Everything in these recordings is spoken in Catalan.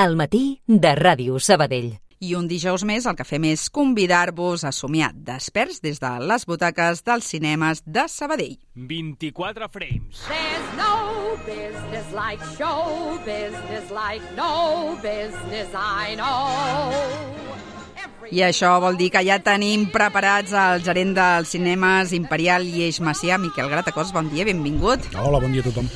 al matí de Ràdio Sabadell. I un dijous més el que fem és convidar-vos a somiar desperts des de les butaques dels cinemes de Sabadell. 24 frames. There's no business like show business, like no business I know. I això vol dir que ja tenim preparats el gerent dels cinemes Imperial i Eix Macià, Miquel Gratacós. Bon dia, benvingut. Hola, bon dia a tothom.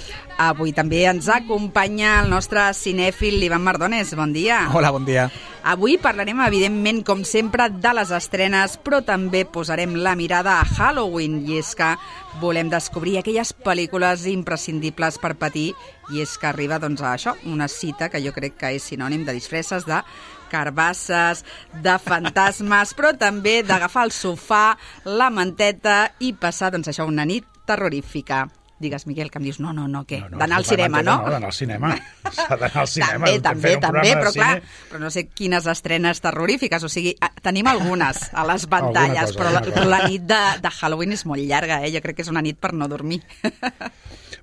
Avui també ens acompanya el nostre cinèfil Ivan Mardones. Bon dia. Hola, bon dia. Avui parlarem, evidentment, com sempre, de les estrenes, però també posarem la mirada a Halloween, i és que volem descobrir aquelles pel·lícules imprescindibles per patir, i és que arriba, doncs, a això, una cita que jo crec que és sinònim de disfresses, de carbasses, de fantasmes, però també d'agafar el sofà, la manteta i passar, doncs, això, una nit terrorífica. Digues, Miquel, que em dius, no, què? D'anar al cinema, no? No, d'anar al cinema. S'ha d'anar al cinema. També, però clar, però no sé quines estrenes terrorífiques, o sigui, tenim algunes a les pantalles, però la nit de Halloween és molt llarga, Jo crec que és una nit per no dormir.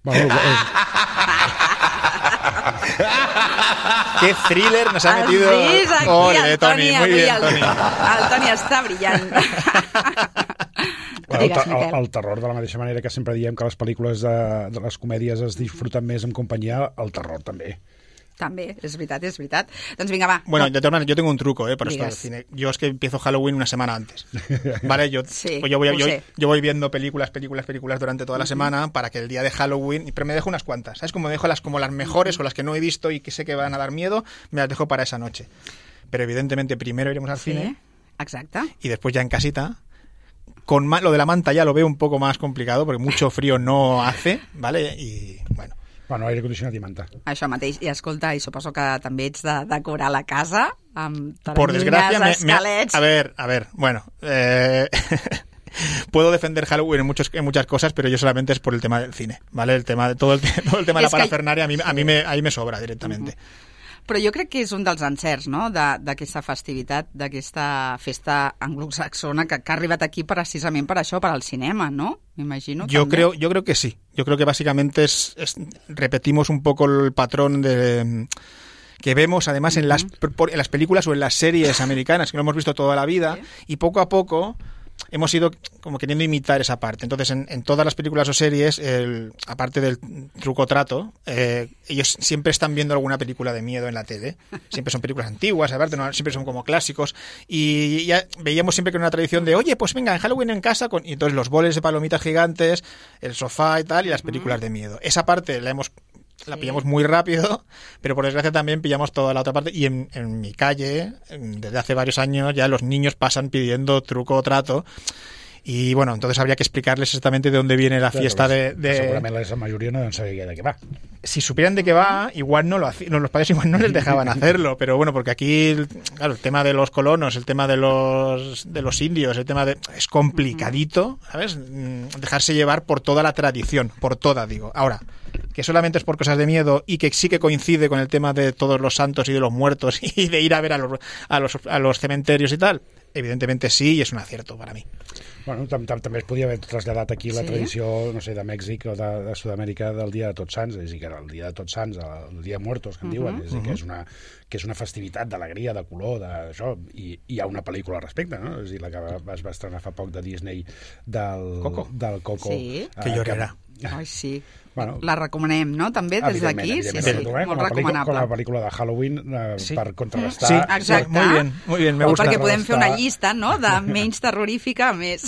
Bueno, ¡Qué thriller nos ha metido! Sí, aquí Ole, el Toni, muy bien, Toni. El Toni està brillant. el terror, de la mateixa manera que sempre diem que les pel·lícules de les comèdies es disfruten més en companyia, el terror també. També, es veritat. Doncs vinga, va. Bueno, de todas maneras, yo tengo un truco para esto del Digas. cine. Yo es que empiezo Halloween una semana antes. ¿Vale? Sí, yo voy viendo películas durante toda la semana para que el día de Halloween... Pero me dejo unas cuantas, ¿sabes? Como me dejo las mejores o las que no he visto y que sé que van a dar miedo, me las dejo para esa noche. Pero evidentemente primero iremos al cine. Exacte. Y después ya en casita. Lo de la manta ya lo veo un poco más complicado porque mucho frío no hace, ¿vale? Y bueno... Bueno, aire condicionat i manta. Això mateix. I escolta, i suposo que també ets de decorar la casa amb por desgracia, escalets. A ver, bueno... Puedo defender Halloween en muchas cosas, pero yo solamente es por el tema del cine, ¿vale? Todo el tema de la parafernaria ahí me sobra directamente. Però jo crec que és un dels encerts, no?, d'aquesta festivitat, d'aquesta festa anglosaxona que ha arribat aquí precisament per això, per al cinema, ¿no? M'imagino. Yo creo que sí. Yo creo que básicamente repetimos un poco el patrón que vemos además en las películas o en las series americanas, que lo hemos visto toda la vida, y poco a poco hemos ido como queriendo imitar esa parte. Entonces, en todas las películas o series, aparte del truco-trato, ellos siempre están viendo alguna película de miedo en la tele. Siempre son películas antiguas, aparte siempre son como clásicos. Y ya veíamos siempre que era una tradición de, oye, pues venga, en Halloween en casa, y entonces los boles de palomitas gigantes, el sofá y tal, y las películas de miedo. Esa parte la pillamos muy rápido, pero por desgracia también pillamos toda la otra parte, y en mi calle, desde hace varios años, ya los niños pasan pidiendo truco o trato, y bueno, entonces habría que explicarles exactamente de dónde viene la fiesta de... Segurament la majoria no deben saber de qué va. Si supieran de qué va, igual los padres igual no les dejaban hacerlo, pero bueno, porque aquí, claro, el tema de los colonos, el tema de los indios, es complicadito, ¿sabes? Dejarse llevar por toda la tradición, por toda, digo. Ahora, que solamente es por cosas de miedo y que sí que coincide con el tema de todos los santos y de los muertos y de ir a ver a los cementerios y tal, evidentemente sí, y es un acierto para mí. Bueno, també es podia haver traslladat aquí la tradició, no sé, de Mèxic o de Sud-amèrica del Dia de Tots Sants, és a dir, que era el Dia de Tots Sants, el Dia de Muertos, que en diuen, és a dir, que és una festivitat d'alegria, de color, d'això, i hi ha una pel·lícula al respecte, no? És a dir, la que es va estrenar fa poc de Disney del Coco. Sí. Que llorarà. Ai, sí. Bueno, la recomanem, no?, també, des d'aquí. Sí, molt recomanable. Com a pel·lícula de Halloween per contrarrestar... Sí, exacte. Muy bien, me gusta. Perquè podem fer una llista, no?, de menys terrorífica a més.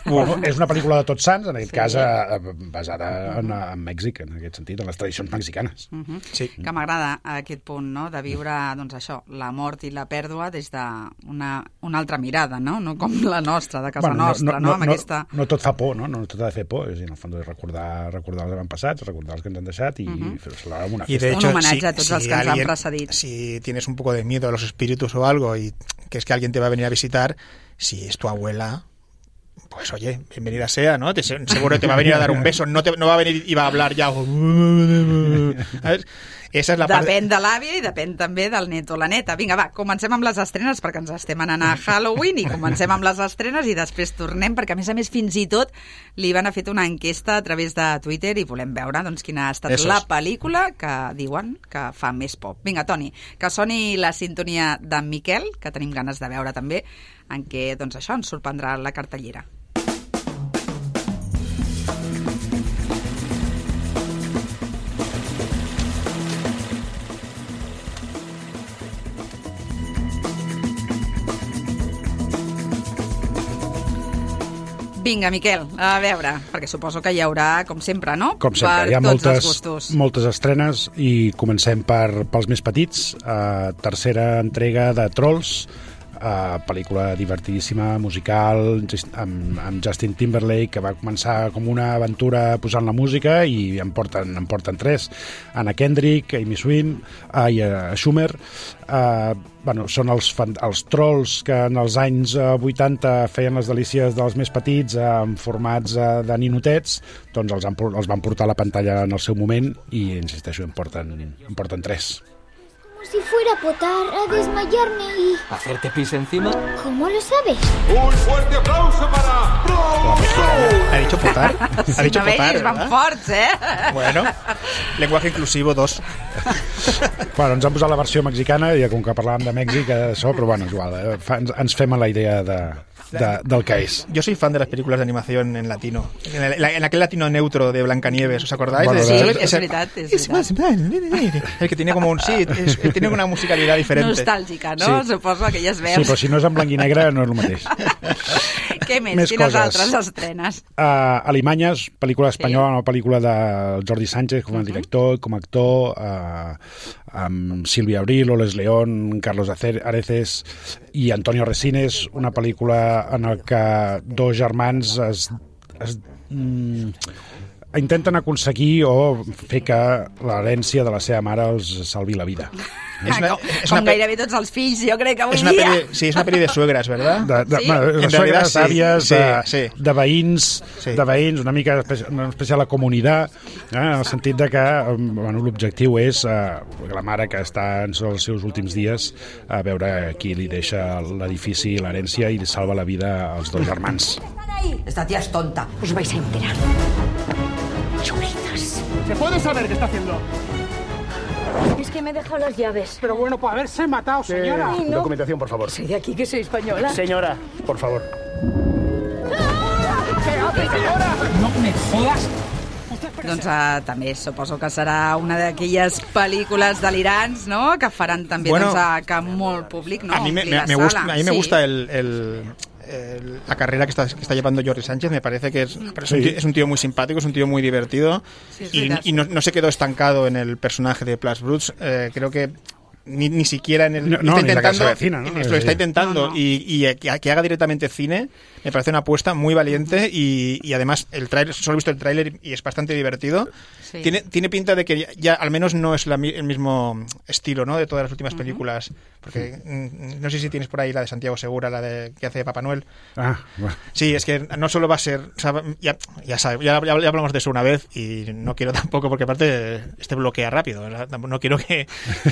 Bueno, és una pel·lícula de Tots Sants, en aquest cas basada en Mèxic, en aquest sentit, en les tradicions mexicanes. Sí. Que m'agrada aquest punt, no?, de viure, doncs això, la mort i la pèrdua des d'una altra mirada, no?, no com la nostra, de casa nostra, no? Amb aquesta... No tot fa por, no? No tot ha de fer por, és a dir, en el fons és recordar els avantpassats, recordar els que ens han deixat i fer-ho amb una festa. Y de hecho, un homenatge a tots els que ens han precedit. Si tienes un poco de miedo a los espíritus o algo y que es que alguien te va a venir a visitar, si es tu abuela... Pues oye, bienvenida sea, ¿no? Seguro te va a venir a dar un beso, no va a venir y va a hablar ya. ¿Sabes? Esa és la part... Depèn de l'àvia i depèn també del net o la neta. Vinga, va, comencem amb les estrenes perquè ens estem anant a Halloween i comencem amb les estrenes i després tornem perquè, a més, fins i tot li van fer una enquesta a través de Twitter i volem veure doncs, quina ha estat la pel·lícula que diuen que fa més por. Vinga, Toni, que soni la sintonia d'en Miquel, que tenim ganes de veure també, en què doncs, això ens sorprendrà la cartellera. Vinga, Miquel, a veure, perquè suposo que hi haurà, com sempre, no? Com sempre, hi ha moltes estrenes i comencem pels més petits. Tercera entrega de Trolls, pel·lícula divertidíssima, musical, amb Justin Timberlake, que va començar com una aventura posant la música i en porten 3. Anna Kendrick, Amy Schumer. Són els trolls que en els anys 80 feien les delícies dels més petits en formats de ninotets, doncs els van portar a la pantalla en el seu moment i, insisteixo, en porten 3. Como si fuera a potar, a desmayarme y... ¿Hacerte pis encima? ¿Cómo lo sabes? ¡Un fuerte aplauso para... ¿Ha dicho potar? ¿Ha dicho potar, van forts, Bueno, lenguaje inclusivo 2. Bueno, ens han posat la versió mexicana i com que parlàvem de Mèxic, això, però bueno, és igual, ens fem a la idea del que és. Yo soy fan de las películas de animación en latino. En aquel latino neutro de Blancanieves, ¿os acordáis? Bueno, sí, es verdad. El que tiene como un... Sí, tiene una musicalidad diferente. Nostàlgica, no? Sí. Suposo aquelles veus. Sí, però si no és en blanc i negre no és el mateix. Què més? Quines altres estrenes? Alemanyes, pel·lícula espanyola, una pel·lícula de Jordi Sánchez com a director i com a actor, amb Silvia Abril, Oles León, Carlos Areces i Antonio Resines, una pel·lícula en el que dos germans intenten aconseguir o fer que l'herència de la seva mare els salvi la vida. Com gairebé tots els fills, jo crec que avui dia. Sí, és una pel·li de suegres, ¿verdad? De suegres, àvies, de veïns, una mica una espècie de la comunitat, en el sentit de que l'objectiu és que la mare, que està en els seus últims dies, a veure qui li deixa l'edifici i l'herència i li salva la vida als dos germans. Esta tía es tonta. Os vais a enterar. Chulitas. ¿Se puede saber qué está haciendo? Es que me he dejado las llaves. Pero bueno, por haberse matado, señora. Ay, no. Documentación, por favor. Soy de aquí, que soy española. Señora, por favor. ¿Qué hace, señora? No me jodas. Doncs també suposo que serà una d'aquelles pel·lícules delirants, no?, que faran també que molt públic, no?, a mí me gusta la carrera que está llevando Jordi Sánchez. Me parece que es un tío muy simpático, es un tío muy divertido, y no se quedó estancado en el personaje de Plus Bruts. Creo que ni siquiera en el... No, ni la casa vecina, ¿no? Lo está intentando. Y que haga directamente cine me parece una apuesta muy valiente, y además el tráiler, solo he visto el tráiler y es bastante divertido. Sí. Tiene pinta de que ya al menos no es el mismo estilo, ¿no?, de todas las últimas películas, porque no sé si tienes por ahí la de Santiago Segura, la de que hace Papá Noel. Bueno. Sí, es que no solo va a ser, o sea, ya hablamos de eso una vez y no quiero tampoco, porque aparte bloquea rápido, no quiero que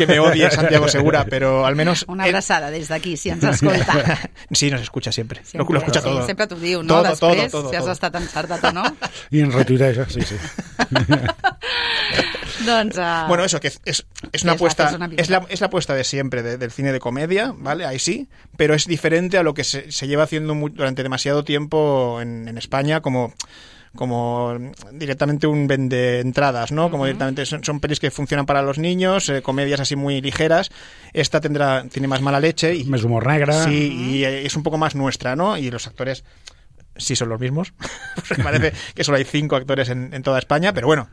me odie Santiago Segura, pero al menos... Una abraçada des d'aquí, si ens escolta. Sí, nos escucha sempre. Lo escucha todo. Sí, sempre t'ho diu, no? Després, todo. Si has estat encertat o no. I ens retuiteja, sí. Doncs, bueno, eso, que es una apuesta, es la apuesta de siempre del cine de comedia, ¿vale? Ahí sí, pero es diferente a lo que se lleva haciendo durante demasiado tiempo en España, como directamente un vende entradas, ¿no? Como directamente son pelis que funcionan para los niños, comedias así muy ligeras. Esta tiene más mala leche y más humor negro. Sí, y es un poco más nuestra, ¿no? Y los actores sí son los mismos. Porque parece que solo hay 5 actores en toda España, pero bueno,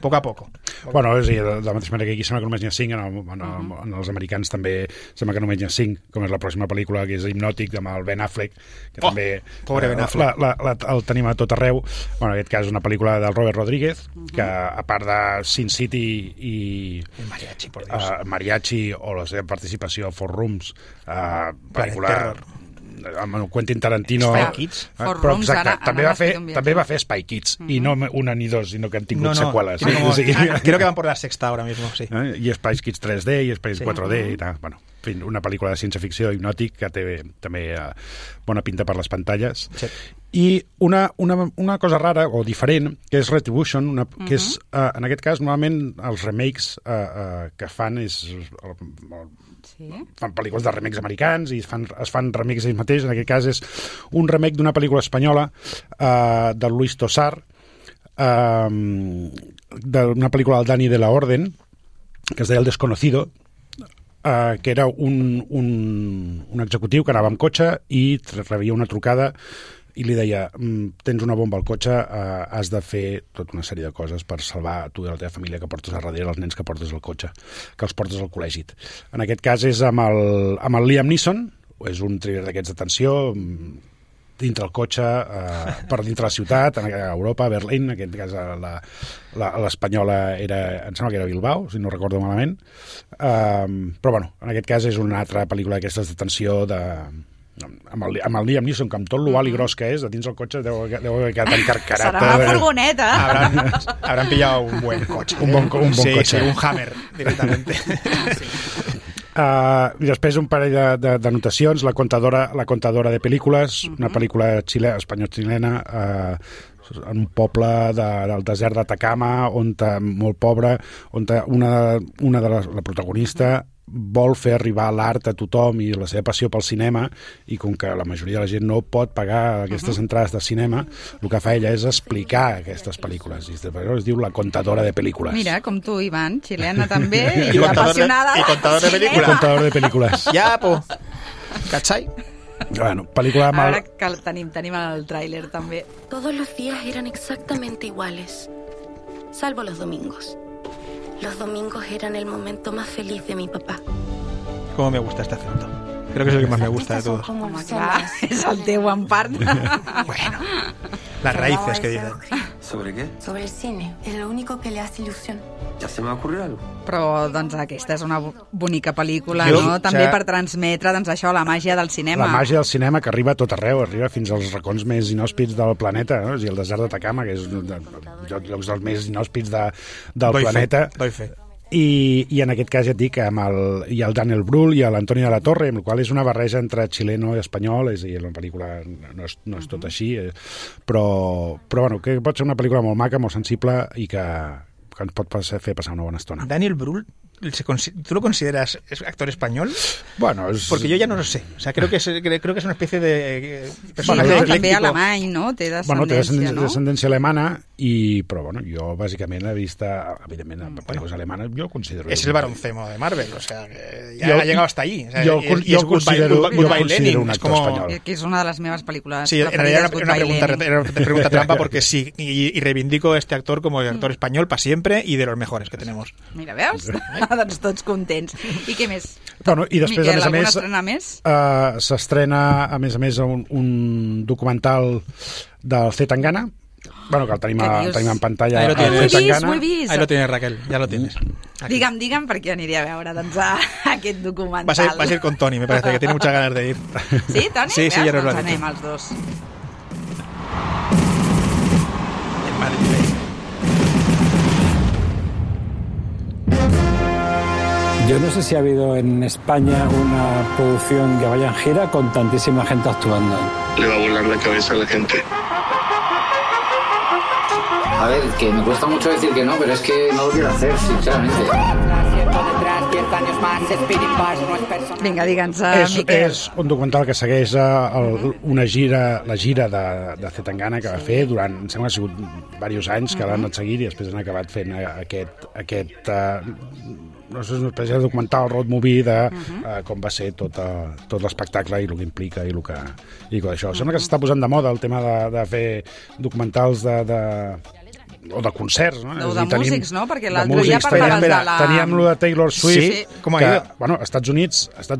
poco a poco. Bueno, és a dir, de la mateixa manera que aquí sembla que només n'hi ha 5, en els americans també sembla que només n'hi ha 5, com és la pròxima pel·lícula, que és Hipnòtic, amb el Ben Affleck, que també pobre Ben Affleck. el tenim a tot arreu. Bueno, en aquest cas és una pel·lícula del Robert Rodríguez, que a part de Sin City i Mariachi, por Dios. Mariachi o la seva participació a Four Rooms, pel·lícula amb el Quentin Tarantino... Spy Kids. Però exacte, també va fer Spy Kids, i no una ni dos, sinó que han tingut seqüeles. Creo que van por la sexta ahora mismo, sí. I Spy Kids 3D, i Spy 4D, i tal. Bueno, en fi, una pel·lícula de ciència-ficció hipnòtic que té també bona pinta per les pantalles. Sí. I una cosa rara o diferent, que és Retribution, que és, en aquest cas, normalment els remakes que fan és... fan pel·lícules de remakes americans i es fan remakes ells mateixos. En aquest cas és un remake d'una pel·lícula espanyola de Luis Tosar, d'una pel·lícula del Dani de la Orden, que es deia El Desconocido, que era un executiu que anava amb cotxe i rebia una trucada i li deia, tens una bomba al cotxe, has de fer tota una sèrie de coses per salvar tu i la teva família que portes a darrere, els nens que portes al cotxe, que els portes al col·legi. En aquest cas és amb el Liam Neeson, és un thriller d'aquests de tensió, dintre el cotxe, per dintre la ciutat, a Europa, a Berlín, en aquest cas l'espanyola em sembla que era Bilbao, si no recordo malament, però bueno, en aquest cas és una altra pel·lícula d'aquestes de tensió amb el Liam Neeson, que amb tot l'oval i gros que és, de dins el cotxe deu haver quedat encarcarat. Serà una furgoneta. Habrán pillado un buen coche. Un bon cotxe. Sí, un Hammer, directamente. I després un parell de notacions. La contadora de pel·lícules, una pel·lícula espanyol-xilena, en un poble del desert d'Atacama, molt pobre, on la protagonista vol fer arribar l'art a tothom i la seva passió pel cinema, i com que la majoria de la gent no pot pagar aquestes entrades de cinema, el que fa ella és explicar aquestes pel·lícules, i es diu La contadora de pel·lícules. Mira, com tu, Ivan, xilena també, i apassionada. I contador de pel·lícules. Contador de pel·lícules. Ja, po. ¿Cachai? Bueno, pel·lícula amb Ara que tenim el tràiler també. Todos los días eran exactamente iguales, salvo los domingos. Los domingos eran el momento más feliz de mi papá. Cómo me gusta este acento. Creo que es el que más me gusta de todos. Home, clar, és el teu en part. Bueno, las raíces que dicen. ¿Sobre qué? Sobre el cine. Es lo único que le hace ilusión. ¿Ya se me ha ocurrido algo? Però, doncs, aquesta és una bonica pel·lícula, no? També per transmetre, doncs, això, la màgia del cinema. La màgia del cinema que arriba a tot arreu, arriba fins als racons més inhòspits del planeta, no? I el desert d'Atacama, que és un dels llocs més inhòspits del planeta. Doy fe. I en aquest cas ja et dic, hi ha el Daniel Brühl i l'Antoni de la Torre, amb el qual és una barreja entre xileno i espanyol, és a dir, la pel·lícula no és tot així, però bueno, que pot ser una pel·lícula molt maca, molt sensible i que ens pot fer passar una bona estona. Daniel Brühl, ¿tú lo consideras actor español? Bueno, porque yo ya no lo sé. O sea, creo que es una especie de personatge eclèctic. També alemany, no? Té descendència, té descendència alemana, però bueno, jo bàsicament he vist, evidentment, pel·lícules alemanes, jo considero... Es el Baroncemo de Marvel, o sea, que ya ha llegado hasta ahí. O sea, jo considero un actor espanyol. Que és una de les meves pel·lícules sí, preferides, era una pregunta trampa, porque sí, y reivindico a este actor como actor español para siempre y de los mejores que tenemos. Mira, veus? Doncs tots contents. I què més? Bueno, i després, Miquel, a alguna estrena més? S'estrena, a més, un documental del C. Tangana. Bueno, que el tenim en pantalla. Ahí lo tienes. Ho he vist. Ahí lo tienes, Raquel, ja lo tienes. Aquí. Digue'm perquè aniré a veure doncs, aquest documental. Vas a ir con Toni, me parece, que tiene muchas ganas de ir. Sí, Toni? Sí, ya nos lo has dicho. Anem els dos. Yo no sé si ha habido en España una producción que vaya en gira con tantísima gente actuando. Le va a volar la cabeza a la gente. A ver, que me cuesta mucho decir que no, pero es que no lo quiero hacer, sinceramente. Vinga, digue'ns, Miquel. És un documental que segueix la gira de C. Tangana que va fer durant, em sembla que ha sigut diversos anys que l'han anat seguint i després han acabat fent aquest no sé, una espècie de documental road movie de com va ser tot l'espectacle i el que implica i el que això. Sembla que s'està posant de moda el tema de fer documentals o de concerts, no? O de músics, no? Perquè l'altre dia parlaves de la... Teníem lo de Taylor Swift, com que, bueno, als Estats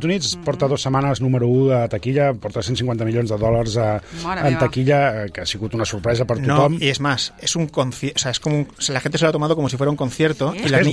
Units porta 2 setmanes número 1 de taquilla, porta $150 milions en taquilla, que ha sigut una sorpresa per tothom. No, y es más, es un concierto, o sea, es como la gente se lo ha tomado como si fuera un concierto, y las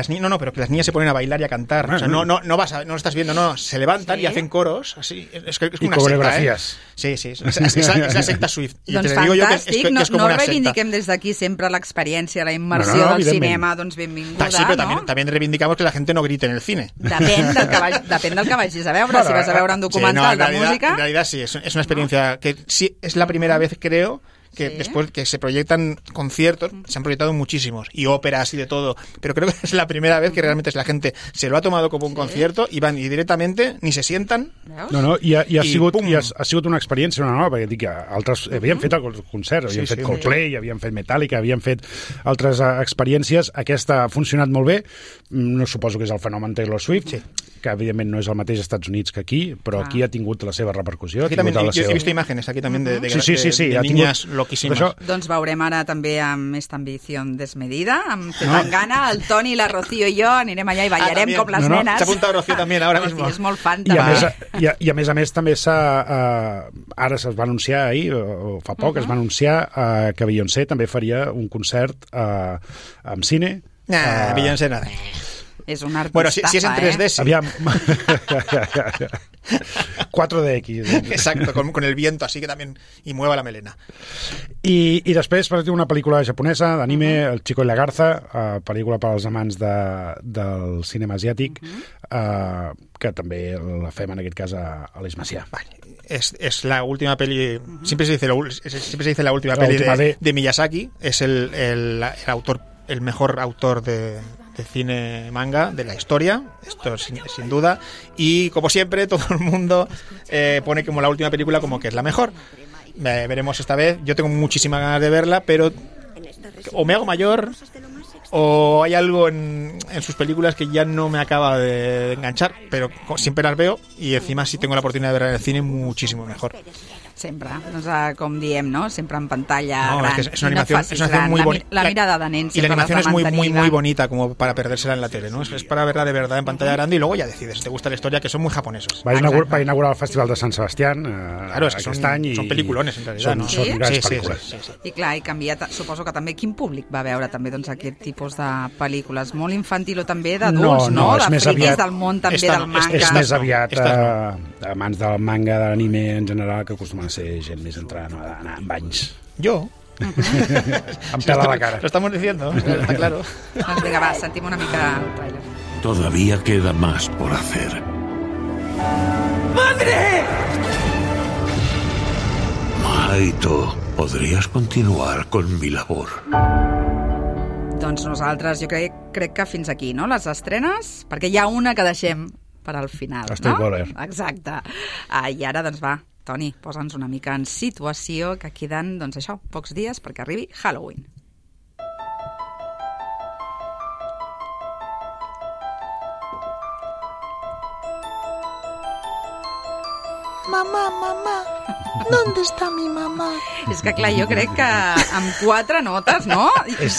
niñas, pero que las niñas se ponen a bailar y a cantar, o sea, no lo estás viendo, no, se levantan y hacen coros, así, es una coreografías. Secta, es la secta Swift. I doncs fantàstic, no reivindiquem des d'aquí sempre l'experiència, la immersió del cinema, doncs benvinguda, sí, però també reivindicamos que la gente no grite en el cine. Depèn del que vagis a veure, si vas a veure un documental de música... En realidad sí, es una experiencia que sí, es la primera vez, creo, que después que se proyectan conciertos, se han proyectado muchísimos, y óperas y de todo, pero creo que es la primera vez que realmente la gente se lo ha tomado como un concierto y van y directamente ni se sientan. I ha sigut una experiència nova, perquè dic que altres havien fet el concert, havien fet Coldplay, havien fet Metallica, havien fet altres experiències. Aquesta ha funcionat molt bé, no suposo que és el fenomen Taylor Swift, que evidentment no és el mateix als Estats Units que aquí, però aquí ha tingut la seva repercussió. Aquí també, he vist imatges aquí també de niñas loquíssimes. Doncs veurem ara també amb esta ambició desmedida, amb Zetangana, el Toni, la Rocío i jo anirem allà i ballarem com les nenes. S'ha apuntat Rocío també ara mismo. És molt fan també. I a més també ara es va anunciar ahir, o fa poc, es va anunciar que Beyoncé també faria un concert amb cine. Beyoncé nada. És un artista. Bueno, si es en 3D, sí. Aviam. 4DX. Exacto, con el viento así que también y mueva la melena. I després per una pel·lícula japonesa d'anime, El Chico y la Garza, pel·lícula per als amants del cinema asiàtic, que també la fem en aquest cas a l'Eix Macià. Es la última peli, siempre se dice la última peli de Miyazaki, es el autor, el mejor autor de cine manga de la historia, esto sin duda, y como siempre todo el mundo pone como la última película como que es la mejor. Veremos esta vez, yo tengo muchísimas ganas de verla, pero o me hago mayor o hay algo en sus películas que ya no me acaba de enganchar, pero siempre las veo y encima si tengo la oportunidad de verla en el cine muchísimo mejor. Sempre, doncs, com diem, ¿no? Sempre en pantalla gran. Es una animación muy bonita. La mirada de nen. Y la animación es muy bonita como para perdérsela en la tele, ¿no? Es para verla de verdad en pantalla grande y luego ya decides si te gusta la historia, que son muy japonesos. Va inaugurar el Festival de Sant Sebastián claro, es que son peliculones en realidad, ¿no? Són grans pel·lícules. Sí. I clar, i canvia, suposo que també quin públic va veure també doncs, aquest tipus de pel·lícules? Molt infantil o també d'adults, no? De friquis del món també del manga. És més aviat amants del manga, de l'anime en general, que acostumen a ser gent més entrant a anar amb anys. Jo? Em pela la cara. Lo estamos diciendo, está claro. Doncs vinga, va, sentim una mica el trailer. Todavía queda más por hacer. ¡Madre! Maito, ¿podrías continuar con mi labor? Doncs nosaltres, jo crec que fins aquí, no? Les estrenes, perquè hi ha una que deixem per al final, no? Exacte. I ara, doncs va, Toni, posa'ns una mica en situació, que queden, doncs això, pocs dies perquè arribi Halloween. Mamá, ¿dónde está mi mamá? És que clar, jo crec que amb 4 notes, no?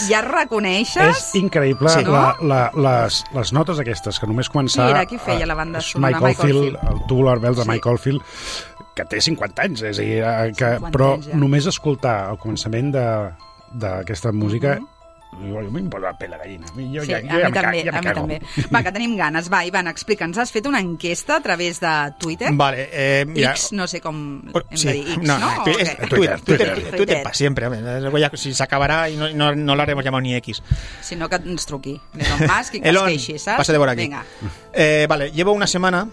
Ja reconeixes... És increïble, sí, no? les notes aquestes, que només començar... Qui era qui feia la banda sonora? Michael Field, el Tubular Bells de Michael Field, que té 50 anys, és a dir, però només escoltar el començament d'aquesta música... Jo m'im posa la pell a gallina. Sí, a mi també. Va, que tenim ganes. Va, Ivan, explica'ns. Has fet una enquesta a través de Twitter? Vale, mira... X, no sé com hem de dir. X, ¿no? Twitter para siempre. Si se acabará y no lo haremos llamado ni X. Si no, que ens truqui. Elon Musk i que es queixi, ¿sabes? Pase de por aquí. Venga. Vale, llevo una semana...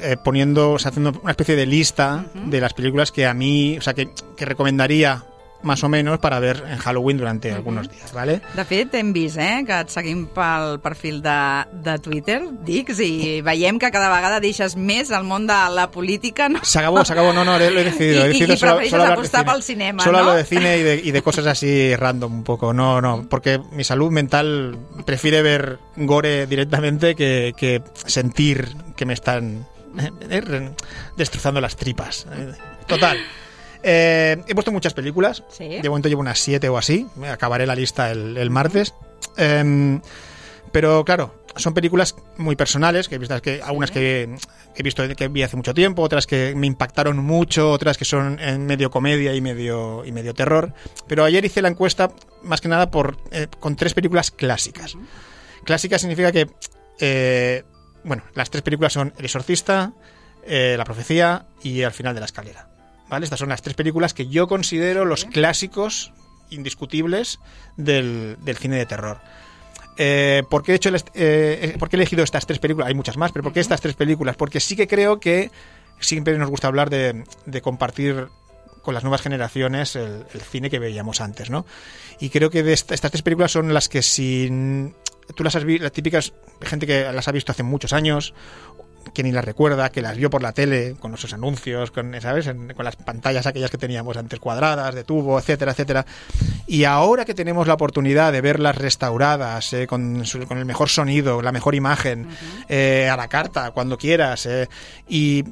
haciendo una especie de lista de las películas que a mí, o sea, que recomendaría más o menos para ver en Halloween durante algunos días, ¿vale? De fet, hem vist que et seguim pel perfil de Twitter, Dix, i veiem que cada vegada deixes més el món de la política, ¿no? Se acabó, no, lo he decidido. I prefereixes apostar pel cinema, solo ¿no? Solo hablo de cine y de cosas así random un poco, no, porque mi salud mental prefiere ver gore directamente que sentir que me están destrozando las tripas. Total. He puesto muchas películas. ¿Sí? De momento llevo unas 7 o así. Acabaré la lista el martes. Pero claro, son películas muy personales, algunas que he visto que vi hace mucho tiempo, otras que me impactaron mucho, otras que son en medio comedia y medio terror. Pero ayer hice la encuesta más que nada con 3 películas clásicas. Clásica significa que las 3 películas son El exorcista, La profecía y Al final de la escalera. ¿Vale? Estas son las 3 películas que yo considero los clásicos indiscutibles del cine de terror. ¿Por qué he elegido estas 3 películas? Hay muchas más, pero ¿por qué estas 3 películas? Porque sí que creo que siempre nos gusta hablar de compartir con las nuevas generaciones el cine que veíamos antes, ¿no? Y creo que estas 3 películas son las que tú las has visto, las típicas gente que las ha visto hace muchos años, que ni las recuerda, que las vio por la tele, con esos anuncios, ¿sabes? Con las pantallas aquellas que teníamos antes cuadradas, de tubo, etcétera, etcétera. Y ahora que tenemos la oportunidad de verlas restauradas, con el mejor sonido, la mejor imagen, a la carta, cuando quieras, y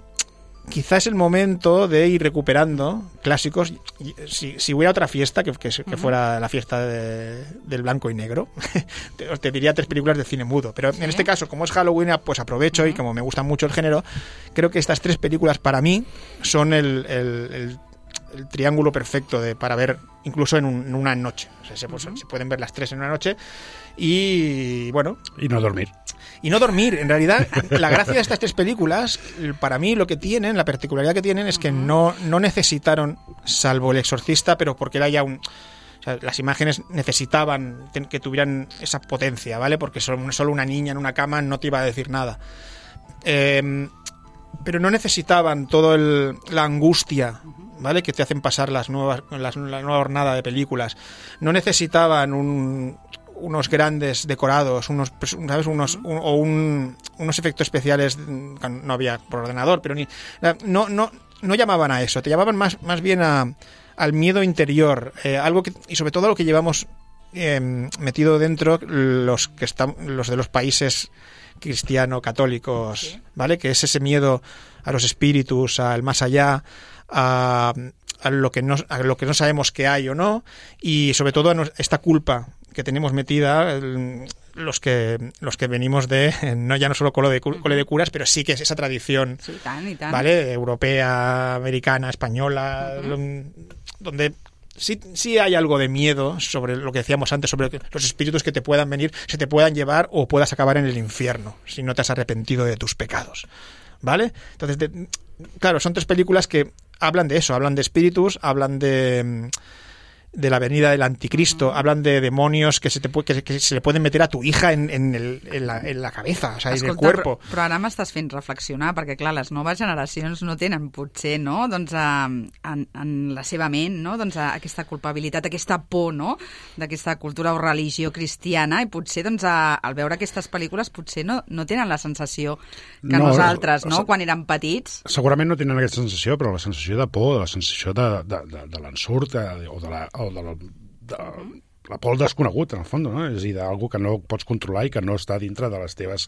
quizás es el momento de ir recuperando clásicos. Si hubiera otra fiesta, que fuera la fiesta del blanco y negro, te diría 3 películas de cine mudo. Pero en este caso, como es Halloween, pues aprovecho y como me gusta mucho el género, creo que estas 3 películas para mí son el triángulo perfecto para ver incluso en una noche. O sea, se pueden ver las 3 en una noche y bueno... Y no dormir. Y no dormir. En realidad, la gracia de estas 3 películas, para mí lo que tienen, la particularidad que tienen es que no necesitaron, salvo El exorcista, pero porque era ya o sea, las imágenes necesitaban que tuvieran esa potencia, ¿vale? Porque solo una niña en una cama no te iba a decir nada. Pero no necesitaban toda la angustia, ¿vale?, que te hacen pasar la nueva hornada de películas. No necesitaban unos grandes decorados, unos efectos especiales, no había por ordenador, pero no llamaban a eso, te llamaban más bien al miedo interior, y sobre todo lo que llevamos metido dentro los de los países cristiano-católicos, ¿vale? Que es ese miedo a los espíritus, al más allá, a lo que no sabemos que hay o no, y sobre todo a esta culpa que tenemos metida los que venimos ya no solo cole de curas, pero sí que es esa tradición, sí, tan. ¿vale?, europea, americana, española, donde sí hay algo de miedo sobre lo que decíamos antes, sobre los espíritus que te puedan venir, se te puedan llevar o puedas acabar en el infierno si no te has arrepentido de tus pecados, ¿vale? Entonces, claro, son 3 películas que hablan de eso, hablan de espíritus, hablan de la venida del anticristo, hablan de demonios que se le pueden meter a tu hija en la cabeza, o sea, en el cuerpo. Però ara m'estàs fent reflexionar, perquè clar, les noves generacions no tenen potser, no?, doncs en la seva ment, no?, doncs aquesta culpabilitat, aquesta por, no?, d'aquesta cultura o religió cristiana, i potser doncs al veure aquestes pel·lícules potser no tenen la sensació que nosaltres, no?, quan érem petits. Segurament no tenen aquesta sensació, però la sensació de por, la sensació de l'ensurt o de la por al desconegut, en el fons, no? És a dir, d'algú que no pots controlar i que no està dintre de les teves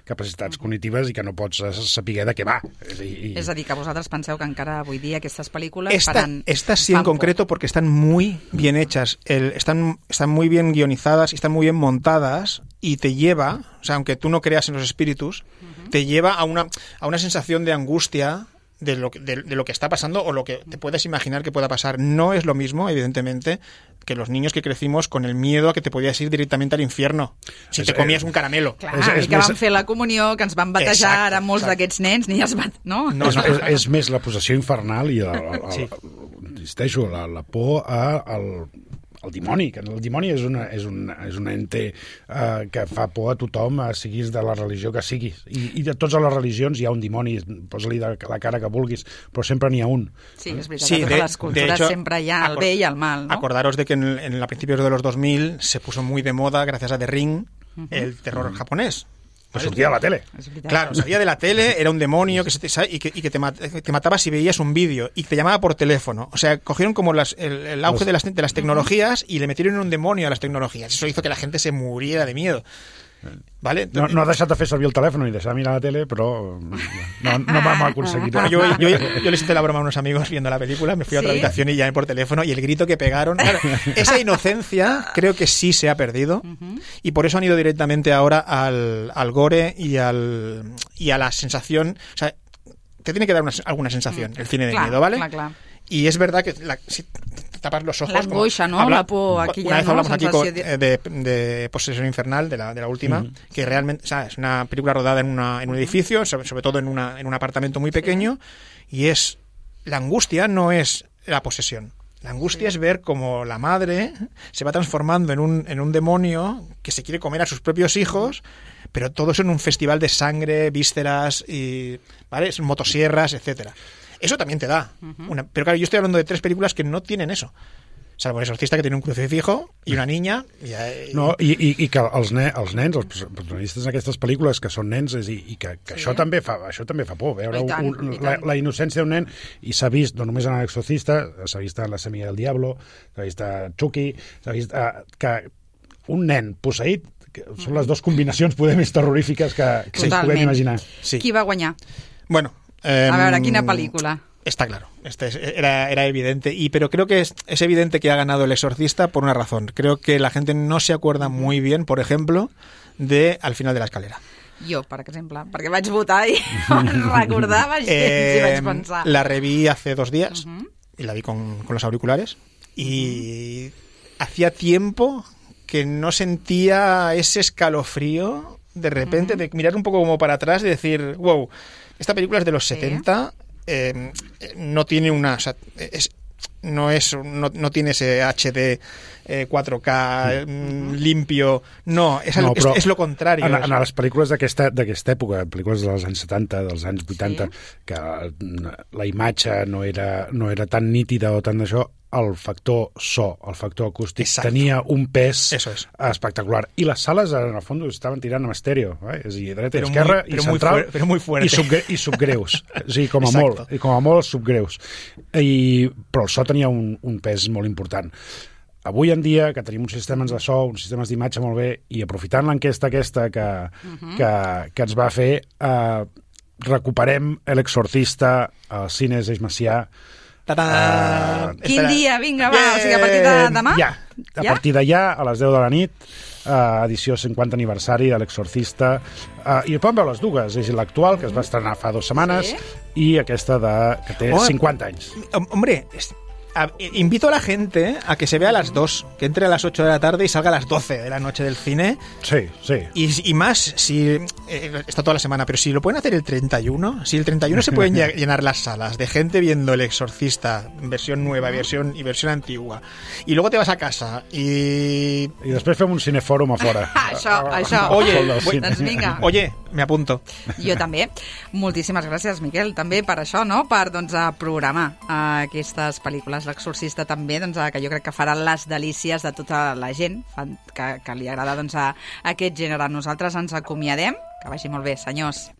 capacitats cognitives i que no pots saber de què va. És a dir, que vosaltres penseu que encara avui dia aquestes pel·lícules Estas sí en concreto porque están muy bien hechas, están muy bien guionizadas y están muy bien montadas y te lleva, o sea, aunque tú no creas en los espíritus, te lleva a una sensación de angustia de lo que está pasando o lo que te puedes imaginar que pueda pasar. No es lo mismo, evidentemente, que los niños que crecimos con el miedo a que te podías ir directamente al infierno si te comías un caramelo. Clar, i que vam fer la comunió, que ens van batejar ara molts d'aquests nens, ni els van... No? És més la possessió infernal i insisteixo, la por al dimoni, que el dimoni és un ente que fa por a tothom, siguis de la religió que siguis, i de totes les religions hi ha un dimoni, posa-li de la cara que vulguis, però sempre n'hi ha un. Sí, és veritat, sí, de les cultures hecho, sempre hi ha el bé i el mal, ¿no? Acordaros de que en principios de los 2000 se puso muy de moda, gracias a The Ring, el terror japonés. Que sortia de la tele. Claro, salía de la tele, era un demonio que te mataba si veías un vídeo y te llamaba por teléfono. O sea, cogieron como el auge de las tecnologías y le metieron un demonio a las tecnologías. Eso hizo que la gente se muriera de miedo. ¿Vale? No ha deixat de fer servir el teléfono ni deixar de mirar la tele, pero no vam aconseguir. Bueno, yo les hice la broma a unos amigos viendo la película, me fui a otra habitación y llamé por teléfono, y el grito que pegaron, claro, esa inocencia creo que sí se ha perdido, y por eso han ido directamente ahora al gore y a la sensación, o sea, te tiene que dar alguna sensación el cine de miedo, ¿vale? Clar. Y es verdad que si tapas los ojos... L'angoixa, ¿no? La por aquella, una vez hablamos aquí sensació de Posesión Infernal, de la última, que realmente, o sea, es una película rodada en un edificio, sobre todo en un apartamento muy pequeño, y es... La angustia no es la posesión. La angustia es ver cómo la madre se va transformando en un demonio que se quiere comer a sus propios hijos, pero todo eso en un festival de sangre, vísceras, y ¿vale? Motosierras, etcétera. Eso también te da. Pero claro, yo estoy hablando de 3 películas que no tienen eso. Salvo El exorcista, que tiene un crucifijo i una niña. No, i que els nens, els protagonistes d'aquestes pel·lícules que són nens, i que això també fa por, veure la innocència d'un nen, i s'ha vist no només en L'Exorcista, s'ha vist en La Semilla del Diablo, s'ha vist a Chucky, s'ha vist que un nen posseït, són les 2 combinacions poder més terrorífiques que ens podem imaginar. Sí. Qui va guanyar? Bueno, a veure, quina pel·lícula? Está claro, era evidente, pero creo que es evidente que ha ganado El exorcista por una razón. Creo que la gente no se acuerda muy bien, por ejemplo, de Al final de la escalera. Jo, per exemple, perquè vaig votar i recordava gens i vaig pensar. La reví hace 2 días y la vi con los auriculares y hacía tiempo que no sentía ese escalofrío de repente de mirar un poco como para atrás y decir, wow, esta película es de los 70, no tiene una... O sea, no tiene ese HD 4K limpio, és lo contrari. En les pel·lícules d'aquesta època, pel·lícules dels anys 70, dels anys 80, que la imatge no era tan nítida o tan d'això, el factor so, el factor acústic, tenia un pes espectacular. I les sales, en el fons, estaven tirant amb estèreo, és a dir, dreta i esquerra, i central, i subgreus. És a dir, com a molt subgreus. Però el so tenia un pes molt important. Avui en dia, que tenim uns sistemes de so, uns sistemes d'imatge molt bé, i aprofitant l'enquesta aquesta que ens va fer, recuperem L'Exorcista als cines Eix Macià. Quin dia? Vinga, va, o sigui, a partir de demà? Ja, a partir d'allà, a les 10 de la nit, edició 50 aniversari de L'Exorcista, i poden veure les dues, és l'actual, que es va estrenar fa 2 setmanes, i aquesta que té 50 anys. Hombre, invito a la gente a que se vea a las 2, que entre a las 8 de la tarde y salga a las 12 de la noche del cine. Sí. Y más, si está toda la semana, pero si lo pueden hacer el 31, si el 31 se pueden llenar las salas de gente viendo El exorcista, versión nueva y versión antigua, y luego te vas a casa i després fem un cinefòrum a fora. Això. Doncs vinga. Oye, me apunto. Jo també. Moltíssimes gràcies, Miquel, també per això, no? Per programar aquestes pel·lícules. L'Exorcista també, que jo crec que farà les delícies de tota la gent que li agrada aquest gènere. Nosaltres ens acomiadem, que vagi molt bé, senyors,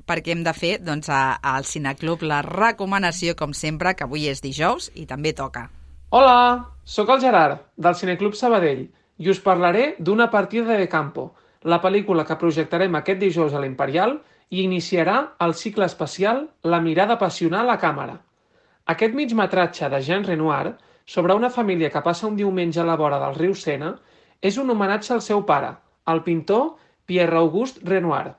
perquè hem de fer al Cineclub la recomanació, com sempre, que avui és dijous i també toca. Hola, sóc el Gerard, del Cineclub Sabadell, i us parlaré d'Una partida de campo, la pel·lícula que projectarem aquest dijous a l'Imperial i iniciarà el cicle especial La mirada passional a càmera. Aquest migmetratge de Jean Renoir sobre una família que passa un diumenge a la vora del riu Sena és un homenatge al seu pare, el pintor Pierre-Auguste Renoir.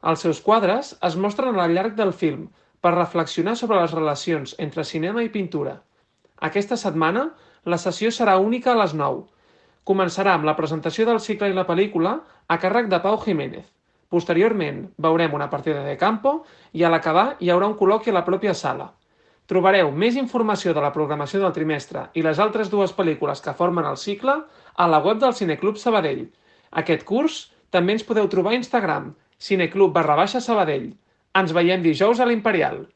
Els seus quadres es mostren al llarg del film per reflexionar sobre les relacions entre cinema i pintura. Aquesta setmana la sessió serà única a les 9. Començarà amb la presentació del cicle i la pel·lícula a càrrec de Pau Jiménez. Posteriorment veurem una partida de campo i a l'acabar hi haurà un col·loqui a la pròpia sala. Trobareu més informació de la programació del trimestre i les altres 2 pel·lícules que formen el cicle a la web del Cineclub Sabadell. Aquest curs també ens podeu trobar a Instagram, cineclub_Sabadell. Ens veiem dijous a l'Imperial.